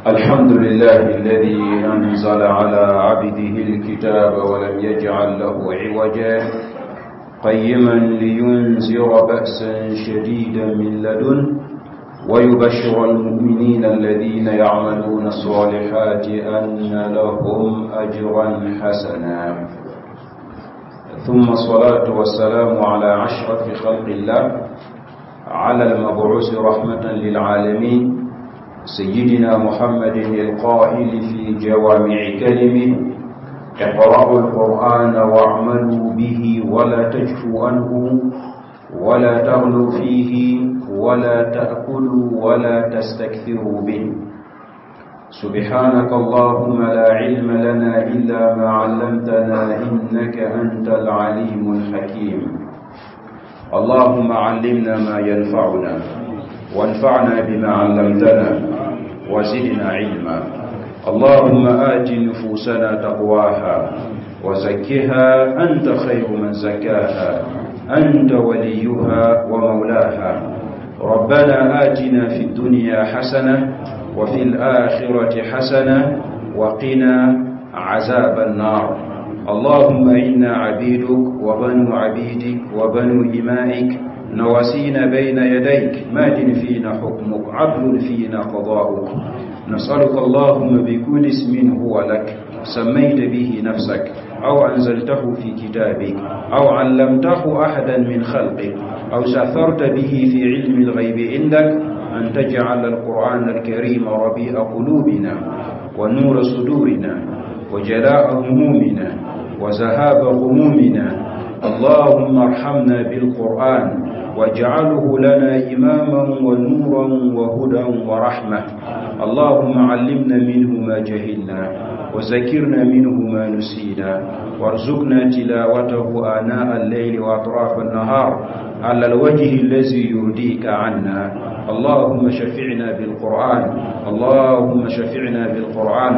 الحمد لله الذي أنزل على عبده الكتاب ولم يجعل له عوجا، قيما لينذر بأسا شديدا من لدنه ويبشر المؤمنين الذين يعملون الصالحات أن لهم أجرا حسنا. ثم الصلاة والسلام على أشرف خلق الله، على المبعوث رحمة للعالمين، سيدنا محمد القائل في جوامع كلمه: اقرأوا القرآن واعملوا به ولا تجفوا عنه ولا تغلوا فيه ولا تأكلوا ولا تستكثروا به. سبحانك اللهم لا علم لنا إلا ما علمتنا إنك أنت العليم الحكيم. اللهم علمنا ما ينفعنا وانفعنا بما علمتنا وزدنا علما. اللهم آت نفوسنا تقواها وزكها أنت خير من زكاها، أنت وليها ومولاها. ربنا آتنا في الدنيا حسنة وفي الآخرة حسنة وقنا عذاب النار. اللهم إنا عبيدك وبنو عبيدك وبنو إمائك، نواسينا بين يديك، ماد فينا حكمك، عدل فينا قضاؤك. نسألك اللهم بكل اسم هو لك سميت به نفسك، أو أنزلته في كتابك، أو علمته أحدا من خلقك، أو سأثرت به في علم الغيب عندك، أن تجعل القرآن الكريم ربيع قلوبنا ونور صدورنا وجلاء همومنا وذهاب غمومنا. اللهم ارحمنا بالقرآن واجعله لنا إماما ونورا وهدى ورحمة. اللهم علمنا منه ما جهلنا وذكرنا منه ما نسينا، وارزقنا تلاوته آناء الليل وأطراف النهار على الوجه الذي يرضيك عنا. اللهم شفعنا بالقرآن، اللهم شفعنا بالقرآن،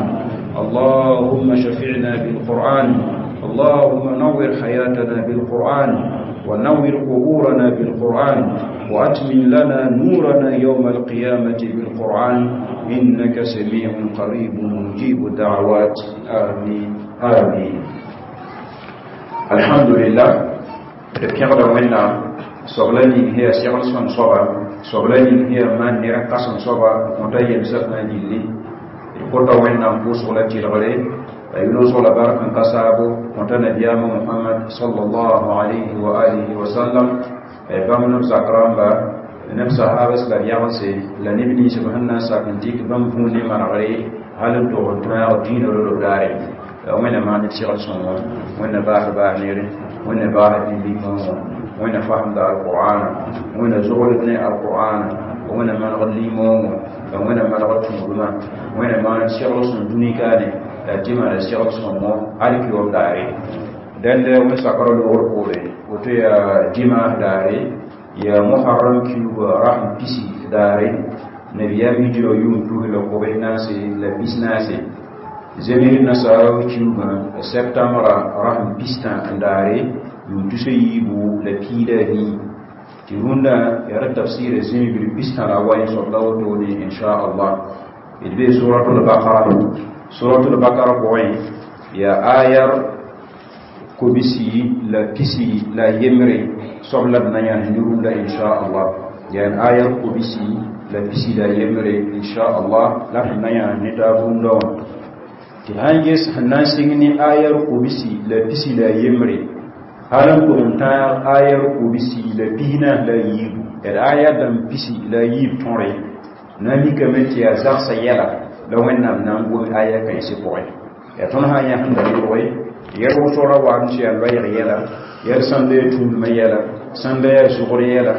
اللهم شفعنا بالقرآن. اللهم نور حياتنا بالقرآن، ونور قبورنا بالقرآن، وأتمم لنا نورنا يوم القيامة بالقرآن، إنك سميع قريب مجيب الدعوات. آمين آمين. الحمد لله. ربنا وإنا صغلاني هي سيغل سن صبا، صغلاني هي من نرقص صبا متيم سفنا جلي القرطة وإنا نفوس ولا تلغلي أيونو صلى بارك كسابو متنا ديام محمد صلى الله عليه وآله وسلم. بام نفس أكرام با نفس هابس لا يغسي لا نبني سبحانه ساكنتيك بام فوني مرغري هل تغنتنا الدين ولو داري وين ما نتشغل سنون وين باح باح نيري وين باح دي وين فهم دار القرآن وين زغلتني القرآن وين ما نغلي مو وين ما نغلي وين ما نتشغل سنون دوني كاني la dima la segl sõngo alkiyoom daare. Dẽnd wẽn sakr loogr poore woto yaa dimaas daare, yaa Muharram kiuga rasm pisi daare, nabiyaam hijra yʋʋm tus la kobs naase la pis naase. Zems nasaara kiugã septembra rasm pistã n daare, yʋʋm tus a yiibu la piida nii. Tɩ rũndã yaa ra tafsɩɩra zĩbir pistã la wa soab la wotone inchallah. D bee suratul Bakara. Suratul Bakara pʋgẽ yaa ayar kobisi la pisi la yembre soab la d na yãs ne rũndã inchallah. Yaa ayar kobisi la pisi la yembre inchallah la sẽn na yãs ne taab rũndã wã. Tɩ sãn ges sẽn na n sɩng ne ayar kobisi la pisi la yembre hal n tʋg n tãag ayar kobisi la pisnaas la yiibu, d ayar dãmb pisi la yiib tõre na n mikame tɩ yaa zagsã yɛla la Wẽnnaam na n gom aya kãensɩ pʋgẽ. Yaa tõnd sã n yãsẽnda yʋge yɛl wʋsg ra wa n tɩ yaa loɛɛg yɛla, yɛl sãnda yaa tũudmã yɛla, sãnda yaa zʋgr yɛla,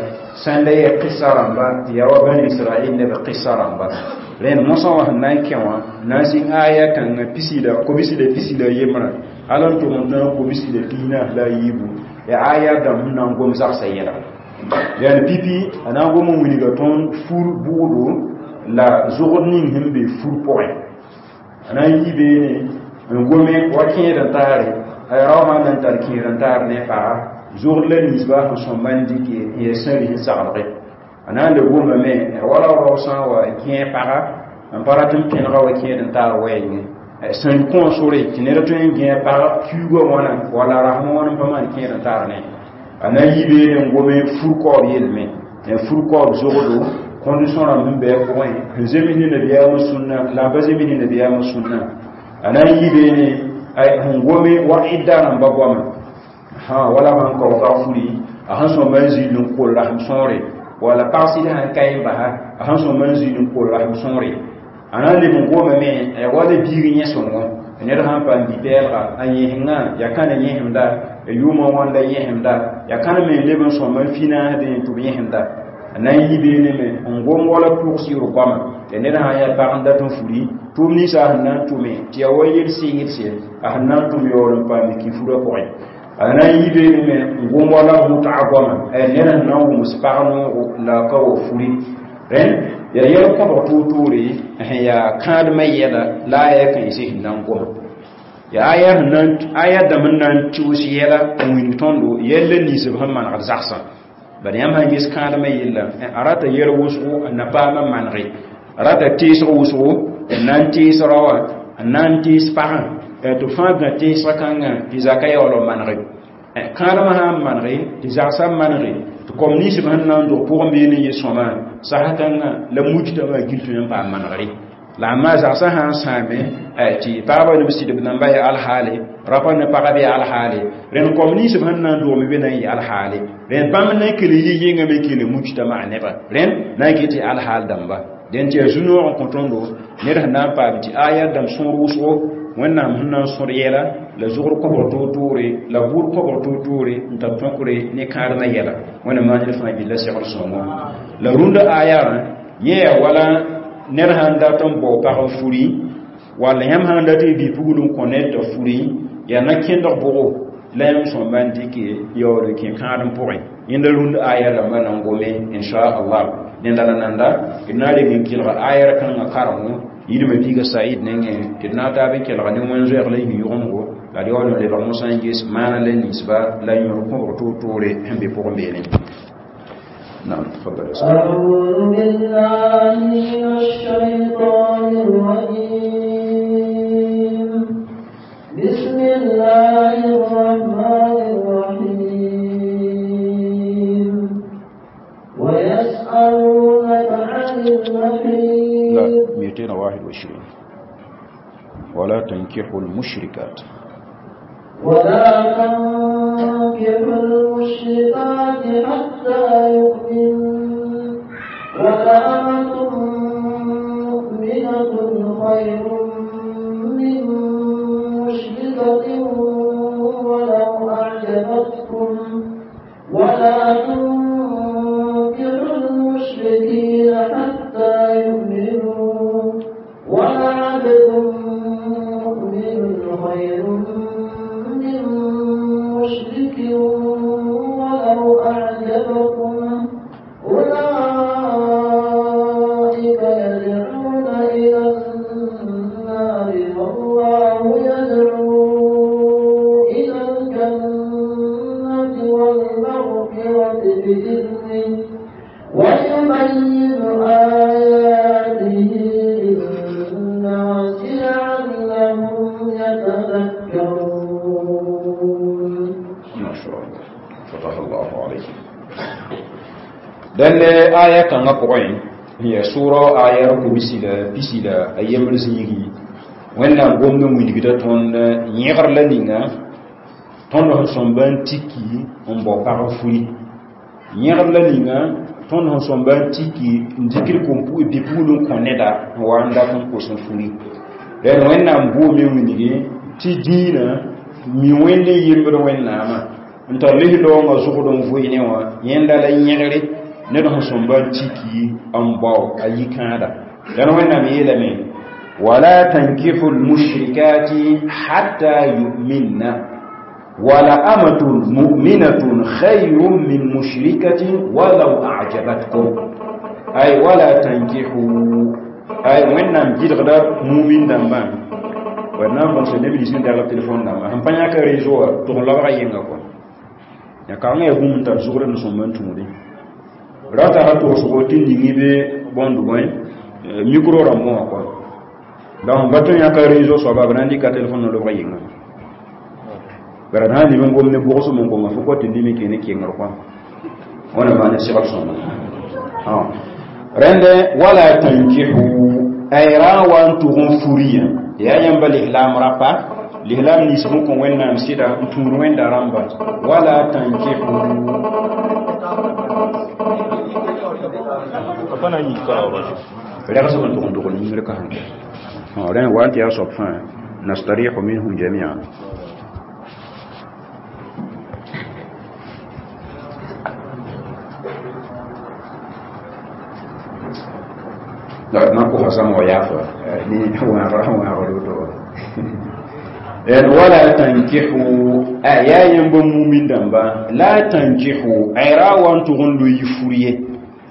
sãnda yaa qɩsa rãmba, tɩ yaa wa Bani Israɛl neb qɩsa rãmba. Rẽnd mosã wã sẽn na n kẽ wã na n zĩng aya kãngã pisi la kobsi la pisi la yembrã hal n tʋg n tãag kobsi la pisnaas la yiibu, yaa aya dãmb sẽn na n gom zagsã yɛla. Yani pipi a na n gom n wilga tõnd fur bʋʋdo la zʋgd ning sẽn be fur pʋgẽ. A na n yi beene n gome wa kẽed n taare, a rao sã n na n tar kẽed n taar ne paga zʋgd la ninsba sẽn sõmba n dɩke n yaa sẽn ris n saglge. A na n le gomame wala rao sã n wa kẽe paga N pa rat n pẽnega wa kẽed n taar wɛɛngẽ sẽn kõ sore tɩ ned tõe n gẽ pag kiuugã wãna wala rasmã wãn n pa maan kẽed n taar ne a na n yi beene n gome fur-kaoob yelme fur-kaoob zogdo condition rãmb sẽn bɩ a pʋgẽ sẽn zems ne nabiyaamã sũnna la n pa zems ne nabiyaamã sũnna a na n yi beene sẽn gome wa idda rãmba goama wala sãn kao pag furi a sẽn sõmba n zĩnd n kol rasem sõore wala pag sɩd sãn ka n basa a sẽn sõmba n zĩnd n kol rasem sõore a na n leb n gomame ya wala biig yẽ sõngo ned sãn paam bi-pɛɛlga a yẽsengã ya kãna yẽsemda ya yʋʋmã wãnda yẽsemda ya kãn me n leb n sõmba n finaasdẽ tɩ b yẽsemda a na n yi beene me n gom wala pʋgsɩɩr goama tɩ ned sã n yaa pag n dat n furi tʋʋm ninsã sẽn na n tʋme tɩ ya wa yel-sɩɩgdse a sẽn na n tʋm yaool n paam kifurã pʋgẽ a na n yi beene me n gom wala mʋtga goama ned sẽn na n wʋms pag noogo la a ka wa furi rẽnd yaa yɛl kõbg toor-toore sẽn yaa kãadmã yɛla la a yaa kãense sẽn na n goma yaa aya dãmb n na n tʋʋs yɛla n wilg tõndo yɛl la ninsb sẽn manegd zagsã bad yãmb sãn ges kãadmã yella a rata yɛl wʋsgo n na paam n manege a rata teesg wʋsgo n na n tees raoã n na n tees pagã tɩ fãa gã teesga kãngã tɩ zaka yaool n manege kãadmã sã n manege tɩ zagsã manege tɩ kom ninsb sẽn na n dog pʋgẽ beene n yɩ sõma sasa kãngã la mujtama gil tõe n paam manegre la a maa zagsã sã n sãame tɩ pagbã ne b sɩdb namba yaa alhaale rapa ne pagb yaa alhaale rẽnd kom ninsb sẽn na n dogme be na n yɩ alhaale rẽnd bãmb na n kell yɩ yengame n kell mujtama nebã rẽnd na n ket tɩ alhaal dãmba dẽn tɩ yaa zu-noog n kõ tõndo ned sẽn na n paam tɩ aya dãmb sõor wʋsgo wẽnnaam sẽn na n sõd yɛla la zʋgr kõbg toor-toore la buud kõbg toor-toore n tar tõkre ne kãadmã yɛla wẽnnaam maan ned fãa gilla segd sõngo la rũndã ayarã yẽ yaa wala ned sãn dat n bao pag n furi walla yãmb sãn dat n bi-pugl n kõ ned t'a furi yaa na kẽndg bʋgo la yãmb sõmba n dɩke yaool n kẽ kãadem pʋgẽ yẽnda rũnd aya rãmbã na n gome inchallah nenda la nanda d na n reg n kelga ayar kãngã karengo yidmã biiga said nengẽ tɩ d na n taab n kelga ne wẽn-zoɛɛg la yĩn-yʋgemgo la d yaool n lebg mosã n ges maana la ninsba la yõor kõbg toor-toore sẽn be pʋgẽ beene. نعم تفضل يا سيدي. أعوذ بالله من الشيطان الرجيم بسم الله الرحمن الرحيم ويسألونك عن المحيض. لا 221 ولا تنكحوا المشركات ولا تنكحوا المشركات حتى يؤمن ولأمة مؤمنة خير من مشركة ولو أعجبتكم ولا تنكحوا المشركين حتى يؤمنوا ولعبد مؤمن خير من مشرك ولو أعجبكم أولئك يدعون إلى النار والله يدعو إلى الجنة والمغفرة بإذنه ويبين آياته للناس لعلهم يتذكرون. ما شاء الله فتح الله عليك. دل آية كان قرآن هي سورة آية ركوبسيلا بسيلا أيام الزيغي وين قمنا وينغدا تون يغر لنينا تون هنسون تيكي ان بو بارفولي يغر لنينا تون هنسون تيكي ndikir kompu e bipulun koneda wanda kon ko son fuli den وين بو mi winigi ti dina mi wẽnde yembd wẽnnaamã n tar lis-loongã zʋgd n vʋɩ ne wã yẽnda la yẽgre ned sẽn sõmba n tiki n bao a yikãada dãn wẽnnaam yeelame wala tankihu lmushrikati hatta yuminna wala amatun muminatun khayrun min mushrikatin walau ajabatkum ay wala tankihu ay wẽnnaam gɩdgda mumin dãmbã wẽnnaam bõn neb nins n dag telefon dãmbã sẽn pa yãka réseau wã tʋg n labga yẽnga kɔ ya kaŋa ya bũmb n tar zʋgd n sõmb n tũudi ra tara toosgo tɩ ningi be bõnd bõe Micro rãmbõ wã kɔa donc ba tõe yãka réseau soaba b na n dɩka telefon n lobg yɩnga bara d sã n lib n gom ne bʋgsem n konga fo kɔ tɩ limi kẽ ne kengr kɔa wãna maan segl sõma rẽnd wala tankihu ay ra wa n tʋg n furiyã yaa yãmba lislaam rapa lislaam nins sẽn kõ wẽnnaam sɩda n tũud wẽnda rãmba wala tankihu rɛgsb n tʋg n dogl yĩngr kasem rẽ wa n tɩ yaa soab fãa nastarihu minhum jamian la na kosa sãm wa yaafa ne wãagra wãagr woto en wala tankihu yaa yãmba mumin dãmba la tankihu ay ra wa n tʋg n loe fur ye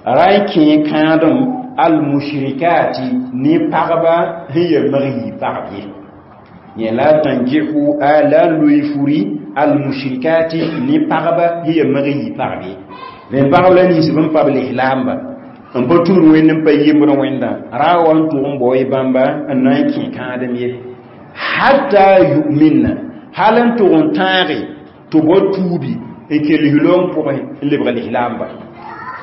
ra n kẽ kãadem almushrikati ne pagba sẽn ya mag yii pagb ye yẽ la tankihu a la n loe furi almushrikati ne pagba sẽn ya mag yii pagb ye rẽn pagb la nins b n pa b lislaamba n pa tũud wẽnd n pa yembd wẽnda ra wa n tʋg n bao y bãmba n na n kẽ kãadem ye hatta yu'minna hal n tʋg n tãage tɩ bao tuubi n kẽ lislaoong pʋgẽ n lebg lislaamba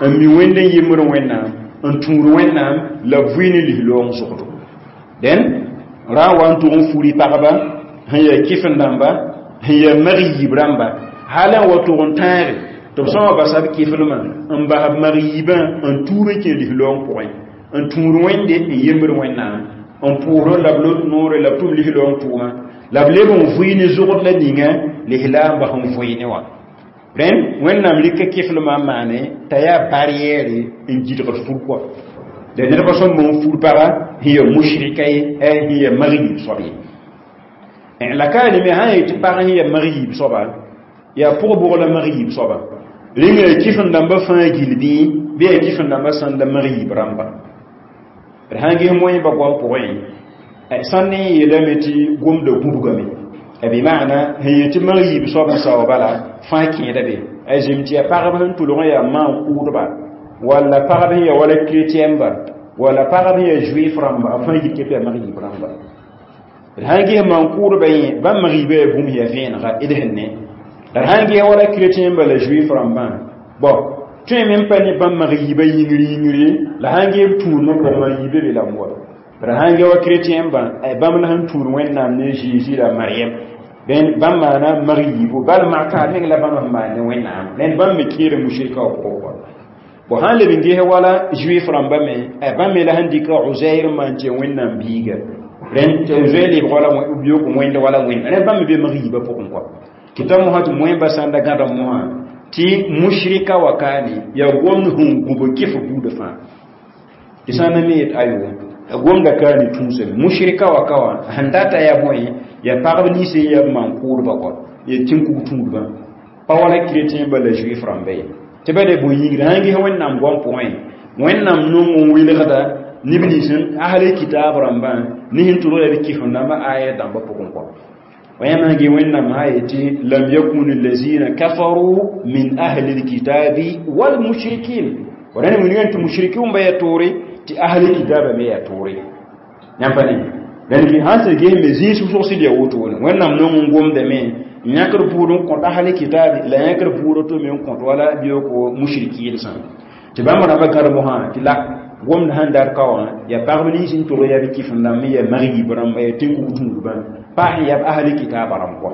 n mi wẽnd n yembd wẽnnaam n tũud wẽnnaam la b vɩ ne lislaoong zʋgdo dẽn ra n wa n tʋg n furi pagba sẽn yaa kɩf-n dãmba sẽn yaa mag yiib rãmba hal n wa tʋg n tãage tɩ b sõma basa b kɩflmã n bas b mag yiibã n tuub n kẽ lislaoong pʋgẽ n tũud wẽnde n yembd wẽnnaam n pʋʋsd la b lot noore la b tʋm lislaoong tʋʋma la b leb n vʋɩ ne zʋgd la ninga lislaambã sẽn vʋɩ ne wã rẽnd wẽnnaam rɩka kɩflmã n maane t'a yaa barrière n gɩdgd fur kɔa la nedbã sõm n fur paga sẽn yaa mushrika ye sẽn yaa mag yiib soab ye la ka reme sã n yetɩ pag sẽn yaa mag yiib soaba yaa pʋg-bʋg la mag yiib soaba rẽnga yaa kɩf-n dãmbã fãa gill bɩ bɩ yaa kɩf-n dãmbã sãnda mag yiib rãmba d sã n ges moẽmbã goam pʋgẽ sãn ne yeelame tɩ gomda gũbgame bɩ maana sẽn yetɩ mag yiib soab n sao bala fãa kẽeda be a zem tɩ yaa pagb sẽn tʋlg n yaa maan-kʋʋdba walla pagb sẽn yaa wala chrétienba walla pagb sẽn yaa juif rãmba b fãa yit tɩ yaa mag yiib rãmba d sã n ges maan-kʋʋdba yẽ bãmb mag yiibã yaa bũmb yaa vẽenega d sẽn ne la d sã n ges wala chrétienba la juif rãmbã bɔn tõe me n pa ne bãmb mag yiibã yĩngr yĩngre la sã n ges b tũudmã pʋgẽ mag yiibã be la n wa d sã n ge wa chrétienbã bãmb la sẽn tũud wẽnnaam ne Jésus la Mariam rẽnd bãmb maana mag yiibu bal maka meng la bãmb sẽn maan ne wẽnnaam rẽnd bãmb me kẽeda mushrika wã pʋgẽ kɔa bõ sã n leb n ges wala juif rãmba me bãmb me la sẽn dɩka Uzair n maan tɩ ya wẽnnaam biiga rẽnd tɩ Uzair lebg wala biok wẽnd wala wẽnd rẽnd bãmb me be mag yiibã pʋgẽ kɔa tɩ t'a mosã tɩ moẽmbã sãn da gãda mosã tɩ mushrika wa kaane yaa gomd sẽn gũb kɩf buudã fãa tɩ sã n na me yet ayo gomda kaane tũusame mushrika wa ka wã sẽn data yaa bõe yaa pagb nins n yaa maan-kʋʋdbã kɔa yaa tĩn-kug tũudbã pa wala chrétien ba la juif rãmba ye tɩ ba de bõe yĩngre sã n ges wẽnnaam goam pʋgẽ wẽnnaam nong n welgda neb nins n ahli kitaab rãmbã ne sẽn tʋlg la b kɩf-n dãmbã aya dãmbã pʋgẽ kɔa ويما جي وين هايتي لم يكن الذين كفروا من أهل الكتاب والمشركين وراني من ينت مشركون بيا توري تي أهل الكتاب بيا توري نعم لأن كي هانس جي مزين سوسو سيدي أوتون وين نم نوم قوم دمين ينكر بورون كنت أهل الكتاب لا ينكر بورو تو من كنت ولا بيوكو مشركين سان تبا مرة بكر مها تلا gomd sãn dar ka wã yaa pagb nins n tʋg yaa b kɩf n dãmb ya mag yiib rãmba ya tẽn-kug tũudbã paas n yaa b ahli kitaabã rãmb kɔa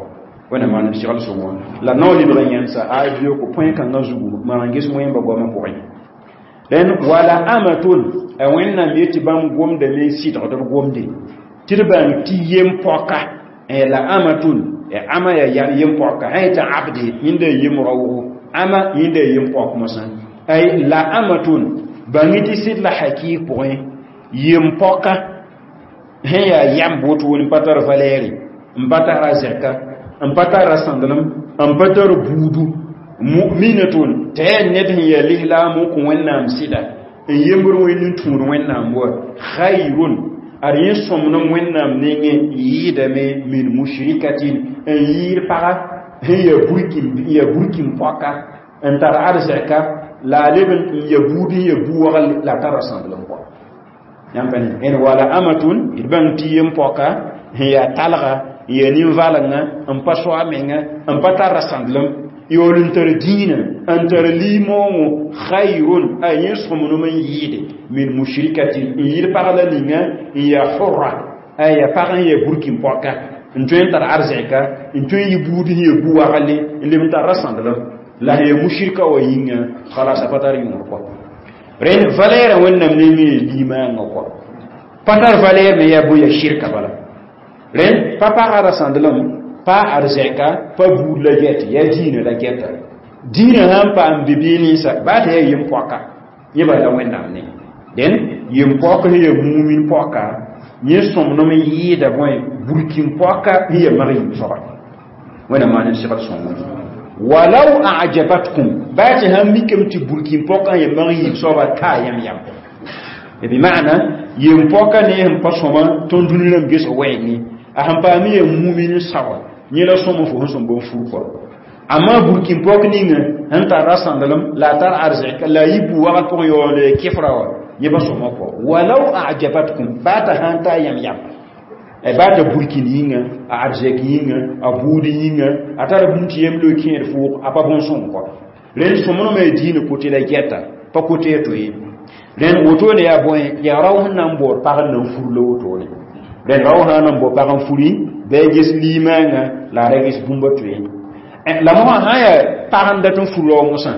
wẽnnaam maan b segl sõngo la nao lebg n yãnsa a bioko põe kãngã zugu maan ges wẽmba goamã pʋgẽ rẽnd wala amatun a wẽnnaam yetɩ bãmb gomdame n sɩdgd b gomde tɩ d bãng tɩ yem-pɔka la amatun ama yaa yem-pɔka sã yetɩ abde yẽnda yaa yem-raoogo ama yẽnda yaa yem-pɔk mosã ay la amatun bãng tɩ sɩd la hakɩɩg pʋgẽ yem-pɔka sẽn yaa yam wotone n pa tar valɛɛre n pa tara zɛka n pa tara sãndelem n pa tar buudu mu'minatun t'a yaa ned sẽn yaa lislaam n kõ wẽnnaam sɩda n yembd wẽnd n tũud wẽnnaam wa khayrun ad yẽ sõmnem wẽnnaam nengẽ yɩɩdame min mushrikatin n yɩɩd paga sẽn yaa burkin pɔka n tar arzɛka la a leb n ya buud n ya bu-wagl la tara sãndelem kɔa Yãmb pa ne en wala amatun d bãng tɩ yem pɔka sẽn yaa talga n yaa nin-valenga n pa so a menga n pa tar rasãndlem yaool n tar dĩinã n tar limoongo khayrun a yẽ sõmnem n yɩɩde min mushrikatin n yɩɩd pag la ninga n yaa hurra a yaa pag n yaa burkin pɔka n tõe n tar arzɛka n tõe n yɩ buud sẽn yaa bu-wagle n leb n tar rasãndlem la sẽn yaa mushrika wã yĩnga khalas a pa tar yõor kɔ rẽnd valɛɛrã wẽnnaam nengẽ limaangã kɔ pa tar valɛɛr me yaa bõe yaa shirka bala rẽnd pa pagã rasãndlem pa arzɛka pa buud la gɛt yaa dĩinã la gɛta dĩinã sãn paam bibii ninsa baa tɩ yaa yem-poaka yẽ bala wẽnnaam ne dẽn yem-poak sẽn yaa mumin poaka yẽ sõmnem n yɩɩda bõe burkin poaka sẽn yaa mag yib soaba wẽnnaam maan n segd sõngo walau ajabatkum baa tɩ sãn mikame tɩ burkin poaka sẽn yaa mag yib soaba taa yãmb yam bi maana yem-poaka ne sẽn pa sõma tõnd dũni rãmb gesg wɛɛngẽ a sẽn paam yaa mumin saoa yẽ la sõma fo sẽn sõm bõn fur kɔ amma burkin pɔk ninga sẽn tar rasãndlem la a tar arzɛka la a yɩ bu-wagl pʋgẽ yaool kɩfra wã yẽ pa sõma kɔ walau ajabatkum baa t'a sãn ta yãmb yam baa t'a burkin yĩnga a arzɛk yĩnga a buud yĩnga a tara bũmb tɩ yem loe kẽed fʋʋg a pa bõn-sõng kɔ rẽnd sõmnemã ya diinã kote la gɛta pa kote ya to ye rẽnd wotone yaa bõe yaa rao sẽn na n baood pag n na n fur la wotone rẽnd rao sã n na n bao pag n furi bɩ a ges limaangã la a ra ges bũmba toe la mosã sã n yaa pag n dat n fur rao mosã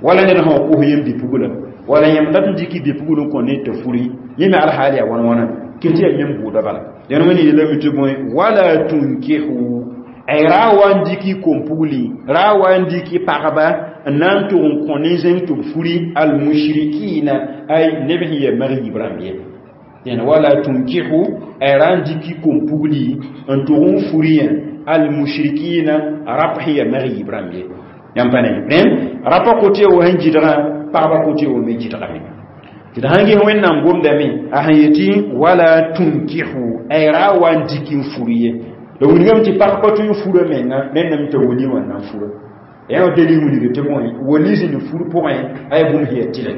wala ned sã wa kos yem bi-pugla wala yãmb dat n dɩk bi-pugl n kõ ned t'a furi yẽ me alhaal yaa wãn-wãna kɩ tɩ yaa yãmb buuda bala dẽn wẽnd yeelame tɩ bõe wala tunkihu ay ra wa n dɩk kom-pugli ra wa n dɩk pagba n na n tʋg n kõ nin-zẽng tɩ b furi almushrikina ay neb sẽn yaa mag-yib rãmb ye dẽn wala tunkihu ay ra n dɩk kom-pugli n tʋg n furi almushrikina rap sẽn yaa mag-yib rãmb ye yãmb pa ne rẽnd rapa kote wa sẽn gɩdgã pagba kote wa me gɩdgame tɩ d sãn ges wẽnnaam gomdame a sẽn yetɩ wala tunkihu ay ra wa n dɩk n fur ye la wilgame tɩ pag pa tõe n fura menga rẽndame t'a wali wã na n fura yã wa dalil wilg tɩ bõe wali zĩnd fur pʋgẽ a yaa bũmb sẽn yaa tɩlɛ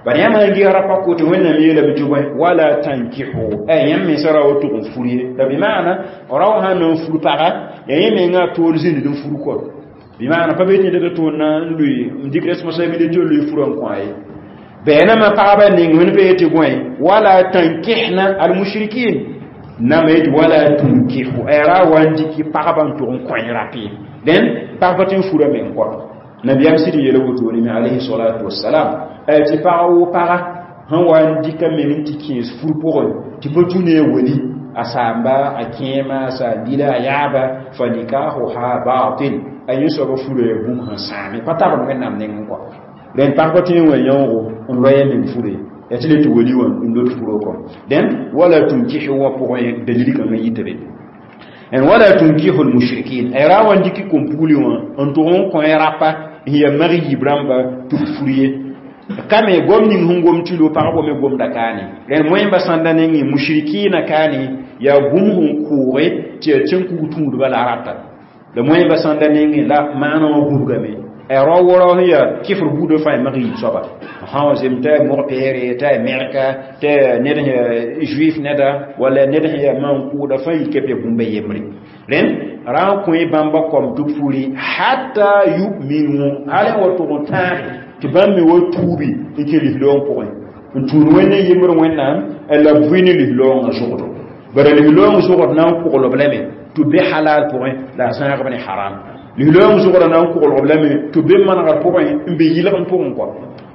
bad yãmb sãn ges rapa kote wẽnnaam yeelame tɩ bõe wala tankihu ay yãmb mensã ra wa tʋg n fur ye la bɩ maana rao sãn na n fur paga yaa yẽ menga a toor zĩnd n fur kɔ bɩ maana pa be tɩ ned tʋʋn na n lʋɩ n dɩk responsabilité lʋɩ furã n kõ a ye bɛɛnamã pagba ning wẽnd pa yetɩ bõe wala tankihna almushrikin nama yetɩ wala tunkihu ay ra wa n dɩk pagba n tʋg n kõ rap ye dẽn pag pa tɩ n fura meng kɔ nabiyaam sɩd n yeela wotone me alayhi salatu wasalam tɩ pag wo paga sẽn wa n dɩka meng n tɩ kẽes fur pʋgẽ tɩ pa tũ ne a wali a saamba a kẽema a saam-bila a yaaba fa nikahuha batil a yẽ soaba fura yaa bũmb sẽn sãame pa tabd wẽnnaam nengẽ kɔ rẽnd pag pa tõe n wa yãoogo n loya meng fure ya tɩ le tɩ wali wã n lot furo kɔ dẽn wala tunkihu wã pʋgẽ dalil kãngã yita be en wala tunkihu almushrikin ay ra wa n dɩk kom-pugli wã n tʋg n kõ rapa n yaa mag-yib rãmba tɩ b fur ye kame gom ning sẽn gom tɩ lo pagb me gomda kaane rẽnd moẽmba sãnda nengẽ mushrikina kaane yaa bũmb sẽn kʋʋge tɩ yaa tẽn-kug tũudba la rata la moẽmba sãnda nengẽ la maana wã gũbgame ay rao wo rao sẽn yaa kɩfr buudã fãa mag-yib soaba sã wa zem t'a mog-peere t'a mɛrka t'a ned sẽn yaa juif neda wala ned sẽn yaa maan-kʋʋda fãa yik yaa bũmba yembre rẽnd ra n kõ bãmba kom tɩ b furi hatta yuminu hal n wa tʋg n tãage tɩ bãmb me wa tuubi n kẽ lislaoong pʋgẽ n tũud wẽnd n yembr wẽnnaam la b vʋɩ ne lislaoongã zʋgdo bara lislaoong zʋgd na n kʋglb lame tɩ b be halal pʋgẽ la a zãagb ne haram lislaoong zʋgda na n kʋglb lame tɩ b be manegr pʋgẽ n be yɩlgem pʋgẽ kɔ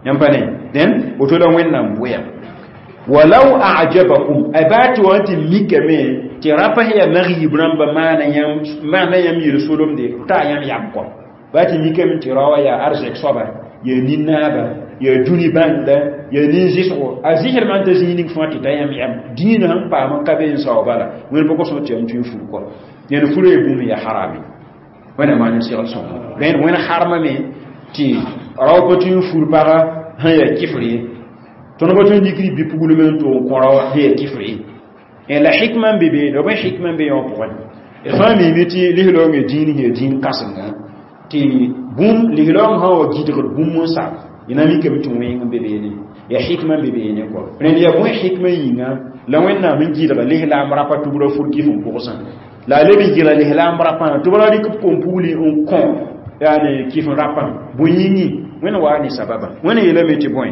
yãmb pa ne dẽn woto la wẽnnaam bʋya walau ajabakum ay baa tɩ wa tɩ mikame tɩ rapa sẽn yaa mag-yib rãmba maana yãmb yel-solemde t'a yãmb yam kɔ baa tɩ mikame tɩ raoã yaa arzɛk soaba yaa nin-naaba yaa dũni bãnda yaa nin-zɩsgo a zɩsd maan t'a zĩig ning fãa tɩ ta yãmb yam dĩinã sẽn paam n ka be n sao bala wẽnd pa kosõ tɩ yam tʋ n fur kɔ yãnd furã yaa bũmb yaa harame wẽnnaam maan n segl sõngo rẽnd wẽnd harmame tɩ rao pa tʋ n fur paga sẽn yaa kɩfr ye tõnd pa tõe n dɩkd bi-puglem n tʋg n kõ rao sẽn yaa kɩfr ye la hikma n be be la bõe hikma n be yã wã pʋgẽ d fãa miime tɩ lislaoongã dĩin sẽn yaa dĩin kãsenga tɩ bũmb lislaoong sã n wa gɩdgd bũmb n sa y na mikame tɩ wẽng n be beene Ya hikma n be beene kɔ rẽnd yaa bõe hikma yĩnga la Wẽnnaam n gɩlga lislaam rapa tɩ b ra fur kɩf n pʋgsã la a leb n gɩla lislaam rapã tɩ b ra rɩk b kom-pugli n kõ yaani kɩf n rapã bõe yĩngi Wẽnd waa ne sababa Wẽnd yeelame tɩ bõe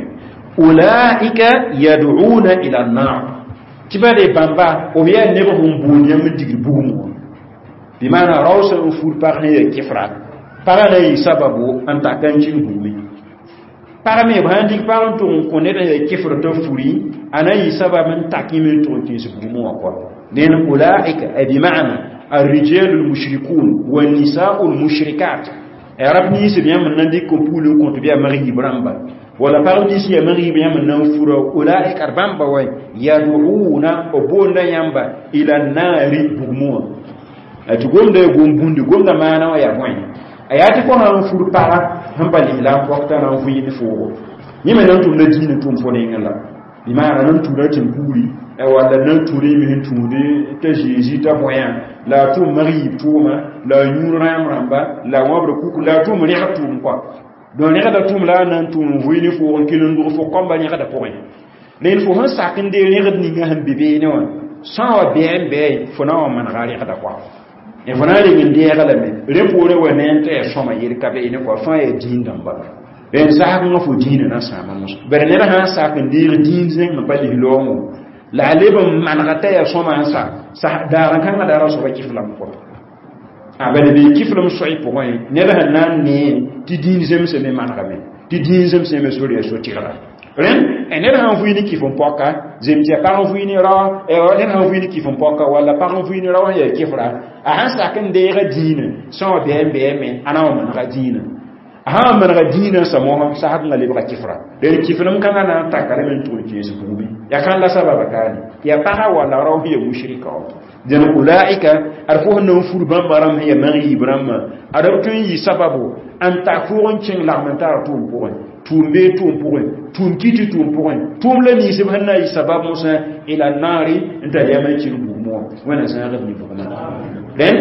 ulaika yad'una ila an-nar tɩ ba de bãmba b yaa neb sẽn boond yãmb n digd bugum wã bɩ maana rao sã n fur pag sẽn yaa kɩfra pagã na yɩ sababo n tak n kĩng bugme pag me b sãn dig pag n tʋg n kõ ned n yaa kɩfr t'a furi a na yɩ sabab n tak yẽ me n tʋg n kẽes bugmẽ wã kɔa dẽn ulaika ay bima'na الرجال المشركون والنساء المشركات rab nins b yãmb n na n dɩk n pugl n kõt bɩ a mag-yiib rãmba wala pag nins yaa mag-yiib yãmb n na n fura ulaika d bãmba wa yad'una b boonda yãmba ila naari bugmẽ wã tɩ gomda ya gom bũndi gomda maana wã yaa bõe a yaa tɩ fo sã n fur paga sẽn pa lislaam pɔgta na n vɩɩnd foogo yẽ me na n tʋmda diinã tʋm fo nengẽ la bɩ maana na n tũuda tẽn-puuri walla na n tũud yẽ me sẽn tũud t'a Zeezi t'a bõe la a tʋm mag-yiib tʋʋma la a yũud rãam rãmba la a wãbda kuku la a tʋm rẽgd tʋʋm kɔa donc rẽgda tʋʋm la a na n tʋm n vʋɩ ne foog n kell n dog fo kãmba rẽgda pʋgẽ rẽnd fo sẽn sak n dee rẽgd ninga sẽn be beene wã sã wa bɛɛ n bɛɛ fo na n wa manega rẽgda kɔa fo na n reng n deega lame rẽ poorẽ wa ne n t'a yaa sõma yel ka beene kɔa fãa yaa dĩin dãmba rẽnd zagengã fo dĩinã na sãama mos bari ned sã n sak n deeg dĩin zẽng n pa lislaoongõ la a leb n manega t'a yaa sõma n sa daar n kãngã daara soaba kɩflame kɔ a bala bee kɩflem soay pʋgẽ ned sẽn na n nee tɩ dĩin zemsame manegame tɩ dĩin zemsame sor yaa so-tɩrga rẽnd ned sã n vʋɩ ne kɩf n pɔka zem tɩ yaa pag n vʋɩ ne rao ned sã n vʋɩ ne kɩf n pɔka walla pag n vʋɩ ne rao sẽn yaa kɩfra a sãn sak n deega dĩinã sã wã bɛɛ n bɛɛ me a na n wa manega dĩinã a sã n manega dĩinã sa mosã sagdngã lebga kɩfra rẽnd kɩflem kãngã na n taka lame n tʋg n kẽes bugme yaa kãn la sababa kaane yaa paga walla rao sẽn yaa mushrika wã dẽn ulaika ad fo sẽn na n fur bãmba rãmb sẽn yaa mag-yiib rãmbã ad b tõe n yɩ sababo n tak fʋʋg n kẽng lagm n tar tʋʋm pʋgẽ tʋʋm bee tʋʋm pʋgẽ tʋʋm kɩtɩ tʋʋm pʋgẽ tʋʋm la ninsb sẽn na n yɩ sabab mosã ila naari n tar yam n kẽng bugmẽ wã Wẽnna zãagd ne bugmã rẽnd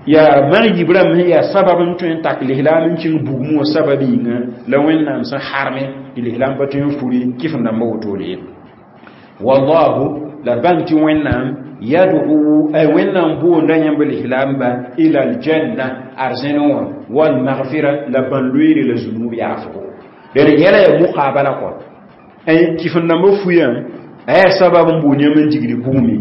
yaa mag-yiib rãmb sẽn yaa sabab n tõe n tak lislaam n kẽng bugmẽ wã sabab yĩnga la Wẽnnaam sẽn harme tɩ lislaam pa tõe n furi kɩf n dãmbã wotone ye wallahu la d bãng tɩ Wẽnnaam yad'u ay Wẽnnaam boonda yãmb lislaamba ila aljanna arzẽn wã walmaghfira la bãn-loeere la zunub yaafgo rẽd yɛla yaa muqabala kɔ ay kɩf n dãmbã fuyã a yaa sabab n boond yãmb n digd bugme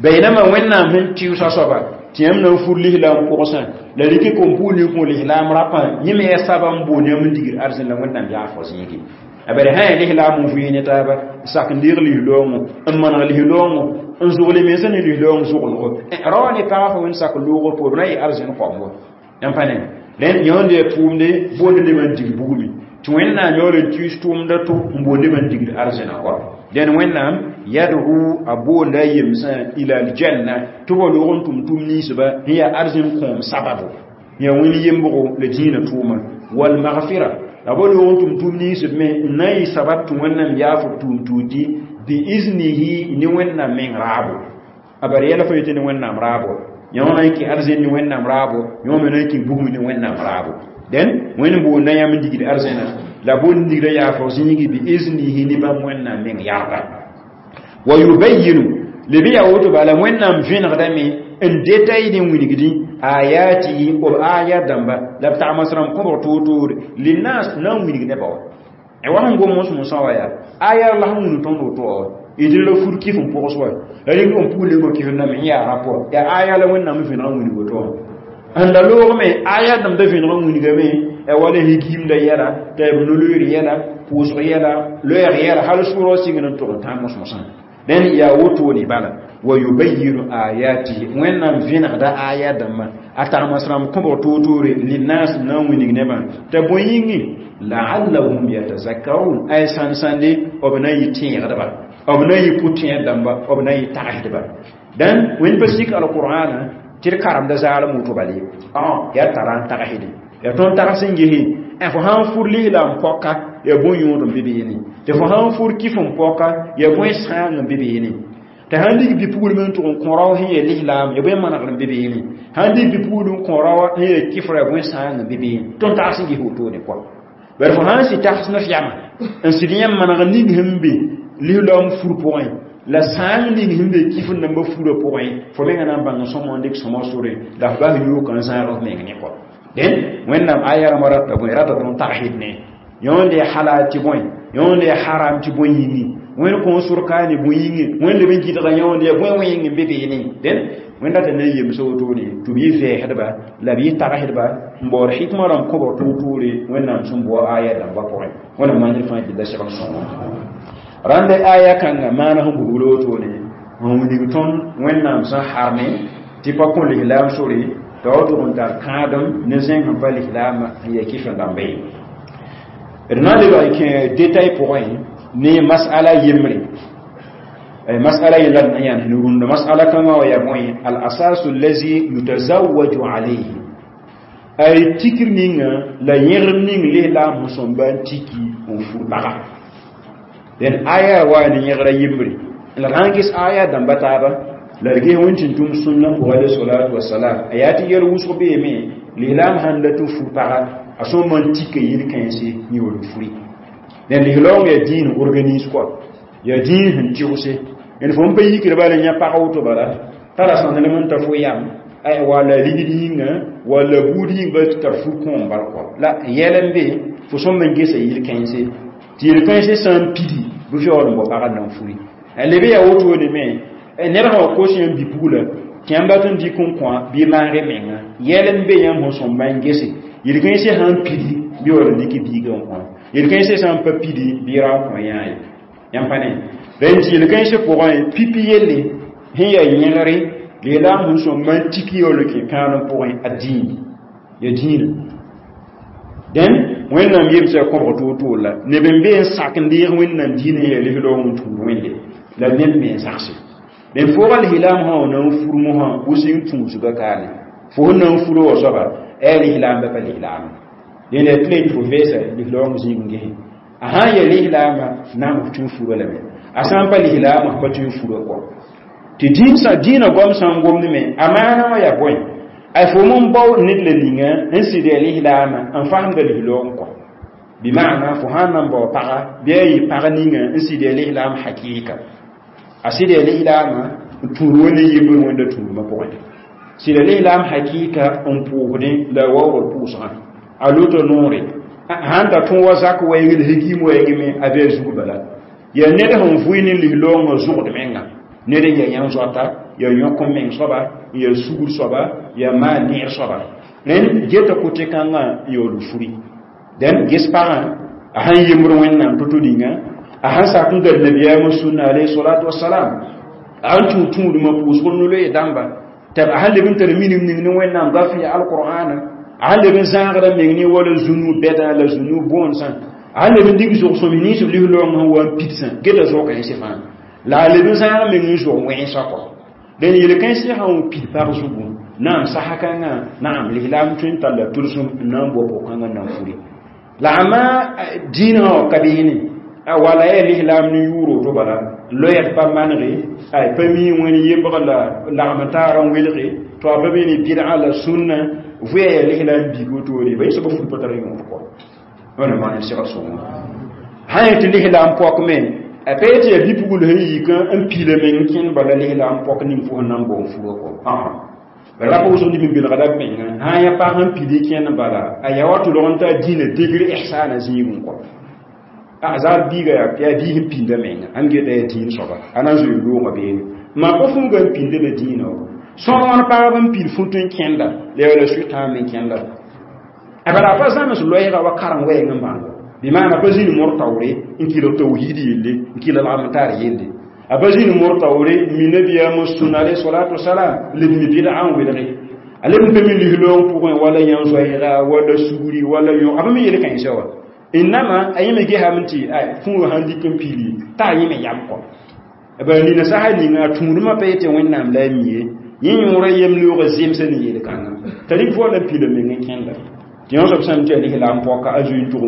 baynama Wẽnnaam sẽn tɩʋsa soaba tɩ yãmb na n fur lislaam pʋgsã la rɩk kom-pugl ne kõ lislaam rapã yẽ me yaa sabab n boond yãmb n digd arzẽn la Wẽnnaam yaafg zĩigi a bari sã yaa lislaam n vɩɩ ne taaba sak n deeg lislaoongõ n maneg lislaoongõ n zʋgle mensã ne lislaoong zʋglgo rao ne pagã fo wẽnd sak loogr poor b na yɩ arzẽn koambo yãmb pa ne rẽnd yõnd yaa tʋʋmde boond nebã n dig bugme tɩ Wẽnnaam yaool n tuis tʋʋmda to n boond nebã n digd arzẽna kɔa dẽn Wẽnnaam yad'u a boonda a yemsã ila aljanna tɩ b wa loog n tʋm tʋm ninsba sẽn yaa arzẽn kõom sababo yaa wẽnd yembgo la dĩinã tʋʋma walmaghfira la b wa loog n tʋm tʋm ninsb me n na n yɩ sabab tɩ Wẽnnaam yaaf b tʋʋm tuudi biiznihi ne Wẽnnaam meng raabo a bar yɛla fo yetɩ ne Wẽnnaam raabo yõ na n kɩ arzẽn ne Wẽnnaam raabo yõ me na n kɩ bugum ne Wẽnnaam raabo dẽn Wẽnd boonda yãmb n digd arzẽna la boond digda yaafg zĩigi biiznihi ne bãmb Wẽnnaam meng yarda wa yubayinu leb yaa woto bala Wẽnnaam vẽnegdame n detail n wilgdĩ ayatihi b aya dãmba la b tagms rãmb kõbg toor-toore linnas na n wilg nebã wa wa sẽn gom mos-mosã wa yaa aya la sẽn wũnu tõnd woto wa d la fur kɩf n pʋgs wa la rɩk n pugl ne kɩf n dãmb yaa rap wa yaa aya la Wẽnnaam vẽneg n wilg woto wã n la loogme aya dãmb da vẽneg n wilgame wala higiimda yɛla t'a b no-loeer yɛla pʋʋsg yɛla loɛɛg yɛla hal sʋʋrg sɩngd n tʋg n tãag mos-mosã dẽn yaa wotone bala wa yubayinu ayatihi Wẽnnaam vẽnegda aya dãmbã a tagms rãmb kõbg toor-toore linnas na n wilg nebã t'a bõe yĩngi la'allahum yatazakkarun ay sãn-sãnde b na n yɩ tẽegdba b na n yɩ pʋ-tẽed dãmba b na n yɩ tagsdba dãn Wẽnd pa sik alqur'ana tɩ d karemda zaalem woto bale yaa tara n tagsde yaa tõnd tags n gese fo sã n fur lislaam pɔka yaa bõe yõod n be beene tɩ fo sã n fur kɩf n pɔka yaa bõe sãang n be beene tɩ sãn dig bi-pugl me n tʋg n kõ rao sẽn yaa lislaam yaa bõe manegr n be beene sãn dig bi-pugl n kõ rao sẽn yaa kɩfra yaa bõe sãang n be beene tõnd tags n ges wotone kɔa Bar fo sãn sɩ tags ne f yama n sɩd yãmb maneg ning sẽn be lislaoom fur pʋgẽ la sãang ning sẽn be kif n dãmbã furã pʋgẽ fo menga na n bãng sõma n dɩk sõma sore la f bas yooka n zãag f meng ne kɔ dẽn Wẽnnaam aya rãmbã rata bõe rata tõnd tagsd ne yõnd yaa halal tɩ bõe yõnd yaa haram tɩ bõe yĩngi Wẽnd kõ sor ka ne bõe yĩnge Wẽnd leb n gɩdga yõnd yaa bõe wẽng n be beene dẽn Wẽnd rata na n yemsa wotone tɩ b yɩ vɛɛsdba la b yɩ tagsdba n baood hikma rãmb kõbg toor-toore Wẽnnaam sẽn boa aya dãmbã pʋgẽ Wẽnnaam maan ned fãa gilla segl sõngo rãnd aya kãnga maana sẽn bugbl wotone n wilg tõnd Wẽnnaam sẽn harme tɩ pa kõ lislaam sore t'a wa tʋg n tar kãadem ne zẽng sẽn pa lislaamã n yaa kɩf n dãmba ye d na n lebg n kẽ détail pʋgẽ ne masala yembre masala yella d na yãan sẽn rũnd masala kãngã wa yaa bõe al asasu allazi yutazawwaju alayhi ay tikr ninga la yẽgr ning lislaam sẽn sõmba n tiki n fur baga dẽn aya wa ne yẽgra yembre la d sãn ges aya dãmba taaba la d ges wẽn tɩ tʋm sũnna pʋgã alayhi salatu wasalam a yaa tɩ yɛl wʋsg beeme lislaam sãn dat n fur paga a sõma n tika yel-kãense yẽ furi dẽn lislaoong yaa dĩin organise kɔa yaa dĩin sẽn tɩgse d fo n pa yikd bala yã pag woto bala tara sãndelem n ta fo yam ay wala ligd yĩnga wala buud yĩng bal tɩ tar fur kõom bal kɔ la yɛl n be fo sõm n gesa yel-kãense tɩ yel-kãense sã n pidi bɩ yaool n bao pagd na n furi leb yaa wotone me ned sã wa kos yãmb bi-pugla tɩ yãmb dat n dɩk n kõ bɩ maag menga yɛl n be yãmb sẽn sõmba n gese yel-kãensã sã n pidi bɩ yaool n dɩk biigã n kõ yel-kãensã sã n pa pidi bɩ ra n kõ yãa ye yãmb pa ne rẽnd tɩ yel-kãensã pʋgẽ pipi yelle sẽn yaa yẽgre lislaam sẽn sõmba n tik yaool n kẽ kãadem pʋgẽ a dĩin ya dĩinã dẽn Wẽnnaam yemsa kõbg toor-toor la neb n be n sak n deeg Wẽnnaam dĩinã yaa lislaoong n tũud Wẽnde la neb me n sagse dẽn fooga lislaam sã wa na n fur mosã wʋseng tũusga kaane fo sẽn na n furo wa soaba yaa lislaam ba pa lislaam dẽnd yaa tɩ la yetɩ fo vɛɛsa lislaoong zĩig n gese a sã n yaa lislaamã naam f tũ n fura lame a sã n pa lislaamã f pa tũ n fura kɔ tɩ dĩinã goam sã n gomd me a maana wã yaa bõe ay fo n bao ned la ninga n sɩd yaa lislaamã n fasemda lislaoong kɔ bɩ maana fo sã n na n bao paga bɩ a yɩ pag ninga n sɩd yaa lislaam hakɩɩka a sɩd yaa lislaamã n tũud wẽnd n yembr wẽnda tũudmã pʋgẽ sɩd yaa lislaam hakɩɩka n pʋʋsdẽ la a waoogd pʋʋsgã a lota noore sãn ta tõog wa zak wɛɛngẽ la hikiim wɛɛngẽ me a bɩ a zug bala yaa ned sẽn vʋɩ ne lislaoongã zʋgd menga ned n yaa yãn zoata yaa yõk n meng soaba n yaa sugr soaba yaa maan neer soaba rẽnd geta kote kãngã n yaool furi dẽn ges pagã a sãn yembr Wẽnnaam to-to ninga a sãn sak n gad nabiyaamã sũnna alayhi salatu wasalam a sãn tũud tũudmã pʋʋsg no-loe dãmba tɩ a sãn leb n tar minim ning ne Wẽnnaam gaf ya alqur'ana a sãn leb n zãagra meng ne wala zũnu bɛda la zũnu boonsã a sãn leb n dig zog-sõm nins b lislaoongã sẽn wa n pidsã geta zog-kãensẽ fãa la a leb n zãag meng n zog wẽnsã kɔ dẽn yel-kãensẽ sã n pid pag zugu naam sasa kãngã naam lislaam tõe n talla tʋlsem n na n bao pʋg-kãngã n na n furi la ama dĩinã wã ka beene wala yaa lislaam ne yʋʋr woto bala loɛɛg pa manege ay pa mi wẽn yembg la lagm taarã n welge to a pa be ne bɩdga la sũnna vʋya yaa lislaam biig wotone ba yẽ soaba fur pa tar yõod kɔ wẽnnaam maan segl sõngo sã n tɩ lislaam pɔk me a pa yetɩ yaa bi-pugl sẽn yik n piila meng kẽnd bala lislaam pɔk ning fo sẽn na n bao n furã kɔ ra pa wʋsg neb n belgda b menga sã n yaa pag sẽn pid kẽnd bala a yaa wa tʋlg n taa dĩinã degr ihsana zĩigẽ kɔ a zaar biiga yaa biis n pĩnda menga ãn geta yaa dĩin soaba a na n zoe loogã beene maa pa fũuga n pĩnda la dĩinã wa sõr wãn pagb n pid fũt n kẽnda la yaa la sʋɩtã me kẽnda a bala a pa zãms loɛɛga wa karen wɛɛng n bãngo bɩ maana pa zĩnd mor taoore n kɩlg tawhiid yelle n kɩlg lagm taar yelle a pa zĩnd mor taoore mi nabiyaamã sũn alayhi salatu wasalam leb mi bɩdga n welge a leb n pa mi lislaoong pʋgẽ wala yãn zoɛɛga wala sugri wala yõ a pa mi yel-kãensã wa innama a yẽ me gesame tɩ fũuga sãn dɩk n pili t'a a yẽ me yam kɔ ba nina sasa ninga a tũudmã pa yetɩ Wẽnnaam la a mi ye yẽ yõora yem-loogã zemsa ne yel-kãngã t'a rɩk fo la n pila meng n kẽnda tɩ yõ soab sãn tɩ yaa lislaam pɔka a zoe n tʋg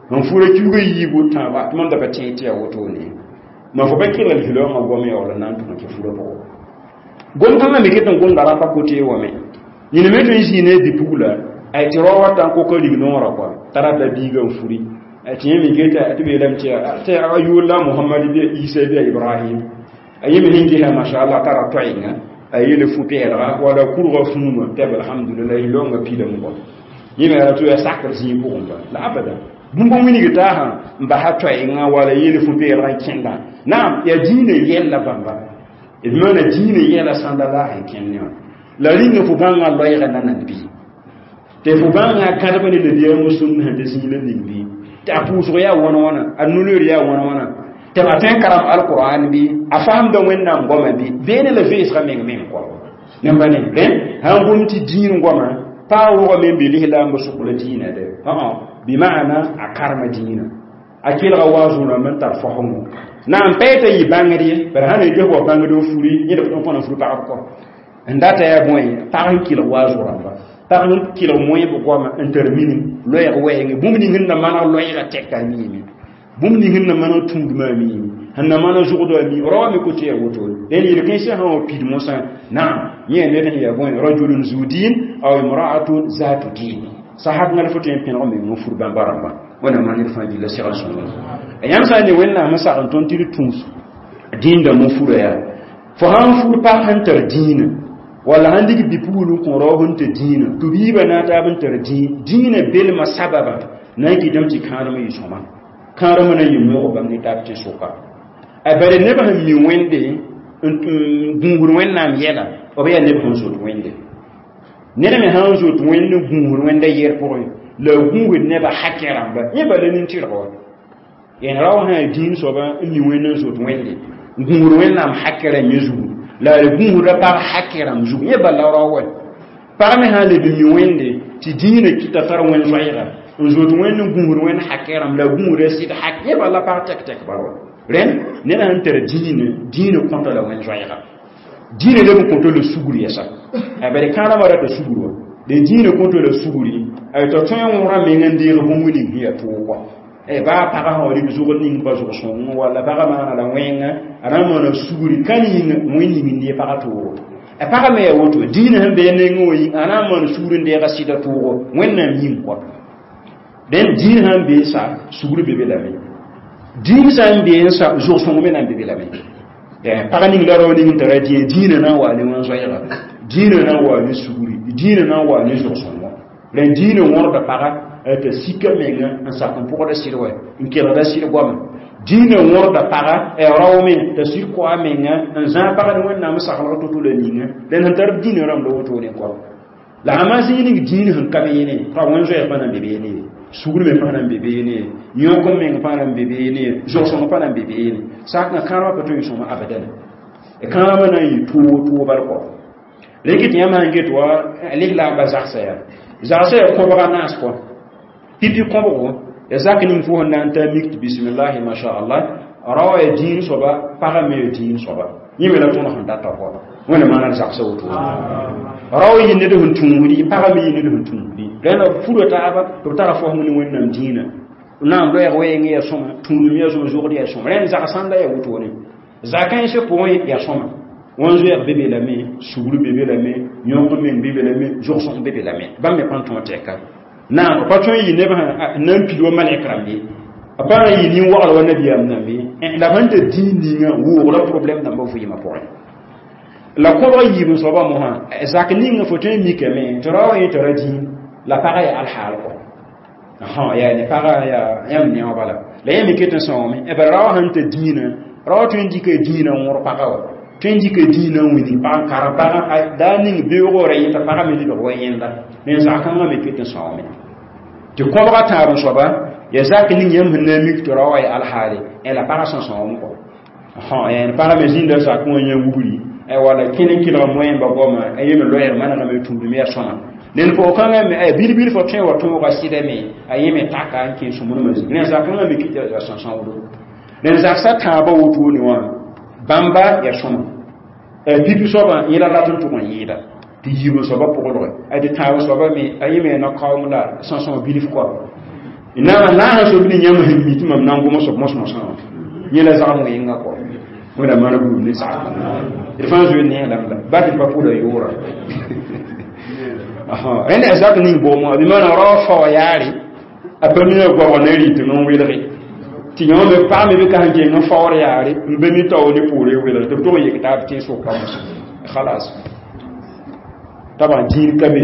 n fura kiuga yiibu tãaba tɩ mam da pa tẽeg tɩ yaa wotone ma fo pa kelg lislaoongã goam yaool n na n tʋg n kẽ furã pʋgẽ gom kãngã me ket n gomda rapa kote wame yẽne me tõe n zĩig ne bi-pugla a Ay tɩ rao wata n kok rig noorã kɔa t'a rat la biigã n furi tɩ yẽ me geta tɩ b yeelame tɩ a yʋʋr la Mohamad bɩ Isa bɩ Ibrahim a yẽ me sẽn gesa mashallah tara toɛɛngã a yeele fu-pɛɛlga wala kurga fũuma tɩ b alhamdulillah longa pilame kɔ yẽ me yaa tɩ yaa sakr zĩig pʋgẽ ba la abada bũmb n wilg taasã n basa toɛɛngã wala yeele fu-peelgã n kẽndã naam yaa dĩinã yɛlla bãmba d maana dĩinã yɛla sãnda la sẽn kẽnd ne wã la rĩnga fo bãngã loɛɛga nanand bɩ tɩ fo bãngã kãdb ne nabiyaamã sũnd sẽn tɩ zĩig la ning bɩ tɩ a pʋʋsg yaa wãna wãna a nuloor yaa wãna wãna tɩ a tõe n karem alqur'an bɩ a faamda wẽnnaam goama bɩ beene la vẽesga meng meng kɔ nẽmba ne rẽ sãn gom tɩ dĩin goama pa wʋgame n be lislaambã sʋk la dĩinã de bɩ maana a karema dĩinã a kelga waazʋ rãmb n tar faoosgo na n pa t'a yɩ bãngd ye bara sã na ges wa bãngd n furi yẽd b tõn n fur pagb kɔ n data yaa bõe pag n kelg waazʋ rãmba pag n kelg moẽb goama n tar minim loɛɛg wɛɛngẽ bũmb ning sẽn na maneg loɛɛga tɛka a miime bũmb ning sẽn na maneg tũudmã a miime sẽn na maneg zʋgdɔ a mi raoã me ko tɩ yaa woto dẽn yel-kãensã sã wa pid mosã naam yẽ ned sẽn yaa bõe rajulun zu din aw imra'atun zatu din sahak ngal fo tõe n pẽneg meng n fur bãmba rãmbã wẽnnaam maan ned fãa gilla segl sõngo yãmb sã n ne wẽnnaam n sag n tõnd tɩ d tũus dĩindame n fura yaa fo sãn fur pag sẽn tar dĩinã walla sãn dig bipugl n kõ rao sẽn tɩ dĩinã tɩ biibã na n taab n tar dĩinã belmã sababa na n kɩtame tɩ kãadem yɩ sõma kãadem na n yɩ moog bãmb ne taab tẽ-sʋka a bare neb sẽn mi wẽnde n gũusd wẽnnaam yɛla b yaa neb sẽn zot wẽnde ned me sãn zot wẽnd n gũusd wẽnda yɛr pʋgẽ la gũusd nebã hakẽ rãmba yẽ bala nin-tɩrg wa yen rao sã yaa dĩin soaba n mi wẽnd n zot wẽnde n gũusd wẽnnaam hakẽ rãmb yẽ zugu la a gũusda pag hakẽ rãmb zugu yẽ bala rao wa pag me sã n leb n mi wẽnde tɩ dĩinã kɩta tar wẽn-zoɛɛga n zot wẽnd n gũusd wẽnd hakẽ rãmb la gũusda sɩd hak yẽ bala pag tɛk-tɛk bal wa rẽnd ned sãn tar dĩinã dĩinã kõta la wẽn-zoɛɛga dĩinã leb n kõto la sugr yɛsa a bari kãadmã rata sugr wa de dĩinã kõto la sugri a t'a tõe n wõra meng n deeg bũmb ning sẽn yaa toog kɔ baa pagã sã wa rɩk zʋgd ning pa zʋg sõng walla pagã maana la wẽnga a na n maana sugri ka yĩnga wẽn ning n dee pagã toogo a pagã me yaa woto dĩinã sẽn bee nengẽ wã yĩng a na n maan sugr n deega sɩda toogo wẽnnaam yĩng kɔ dẽn dĩin sãn bee sa sugr be be lame dĩin sã n bee n sa zʋg sõng me na n be be lame pag ning la rao ning n tara dĩyã dĩinã na n waa ne wẽn-zoɛɛga dĩinã na n waa ne sugri dĩinã na n waa ne zʋg-sõngo rẽn dĩinã wõrda paga t'a sika menga n sak n pʋgda sɩd wɛ n kelgda sɩd goama dĩinã wõrda paga rao me t'a sɩd koa menga n zãag pag ne wẽnnaam saglg to-to la ninga rẽnd sẽn tar dĩinã rãmb la wotone kɔ la sã zĩig ning dĩin sẽn ka beene pa wẽn-zoɛɛg pa na n be beene sugr me pa na n be beene yõk n meng pa na n be beene zʋg-sõng pa na n be beene sakã kãadmã pa tõe n sõma abadan kãadmã na n yɩ toog bal kɔ rẽk tɩ yãmb sãn get wa lislaambã zagsa yaa zagsa yaa kõbga naas kɔ pipi kõbgo ya zak ning fo sẽn na n ta mik tɩ bisimillahi mashaallah rao yaa dĩin soaba pagã me yaa dĩin soaba yẽ me la tõnd sẽn data kɔ wẽnna maana zagsa woto rao yɩ ned sẽn tũusdi pagã me yɩ ned sẽn tũusdi rẽnd b fura taaba tɩ b tara fosg ne wẽnnaam dĩinã naam loɛɛg wɛɛngẽ yaa sõma tũudum yaa sõma zʋgd yaa sõma rẽnd zag sãnda yaa wotone zakãensã pʋgẽ yaa sõma wẽn-zoɛɛg be be lame sugr be be lame yõk meng be be lame zʋg-sõng be be lame bãmb me pa n tõog tɛka naam pa tõe n yɩ neb sã n na n pid wa malɛk rãmb ye a pa na n yɩ nin-wagl wa nabiyaam nãmb ye la b sẽn tɩ dĩin ninga woogra problɛm dãmbã vɩɩmã pʋgẽ la kõbg yiib n soabã mosã zak ninga fo tõe n mikame tɩ rao yẽ tara dĩin la pagã yaa alhaal kɔ yaa ne pagã yaa yãmb neoog bala la yẽ me ket n sõome b rao sẽn tɩ dĩinã rao tõe n dɩka dĩinã n wõr pagã wa tõe n dɩka dĩinã n wilg pag n karem pagã daa ning beoogã ra yẽta pagã me lebg wa yẽnda ne zak-kãngã me ket n sõome tɩ kõbga tãab n soaba yaa zak ning yãmb sẽn na n mik tɩ rao wã yaa alhaale la pagã sẽn sõom kɔ yaa pagã me zĩnda zakẽ wã yã wugri wala kẽn n kelg moẽmba goama a yeme loɛɛg manegame tũudum yaa sõma ned pʋgkãngã me bil-bil fo tõe wa tõoga sɩdame a yẽ me taka n kẽ sũmbrmã zĩig rẽnd zakãngã me kɩ tɩ sã-sãodo rẽnd zaksa tãabã wotone wã bãmba yaa sõma pipi soabã yẽ la rat n tʋg n yɩɩda tɩ yiib n soabã pʋglge tɩ tãab soabã me a yẽ me na-kaoong la sã-sõg bilf kɔ naam naasã soab ne yãmb sẽn mi tɩ mam na n gom soab mos-mosã wã yẽ la zagm wẽnga kɔ wẽnna maan buud ne zag d fãa zoe ne lame la ba tɩ pa pʋda yʋʋra Rẽnd yaa zak ning boom wã bɩ maana rao fao yaare a pa mina goabg ne rɩtẽ n welge tɩ yõ me pag me bɩ ka sẽn keng n faoor yaare n be mi tao ne poore welg tɩ b tog n yek taab tẽn-sʋka mos khalas. Taba dĩin ka be,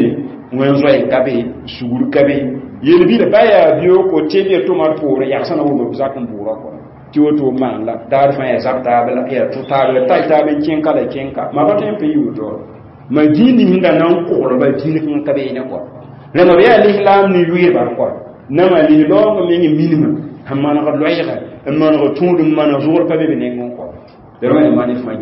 wẽn zoɛɛ ka be, sugr ka be, yel-bila ba yaa bioko tɩ b yaa tʋma d poore yagsã na wʋm b zak n bʋʋra kɔa tɩ woto maan la daar fãa yaa zab taab la yaa tʋ taab la tay taab n kẽn ka la kẽnka ma pa tõe n pa yi woto ma dĩin ning da na n koglba dĩin kãng ka beene kɔa. Rẽmb yaa lislaam ne yʋɩɩba kɔa nama lislaoongã meng minimã sẽn manegd loɛɛga n maneg tũud n maneg zʋgr pa be b nengẽ kɔa.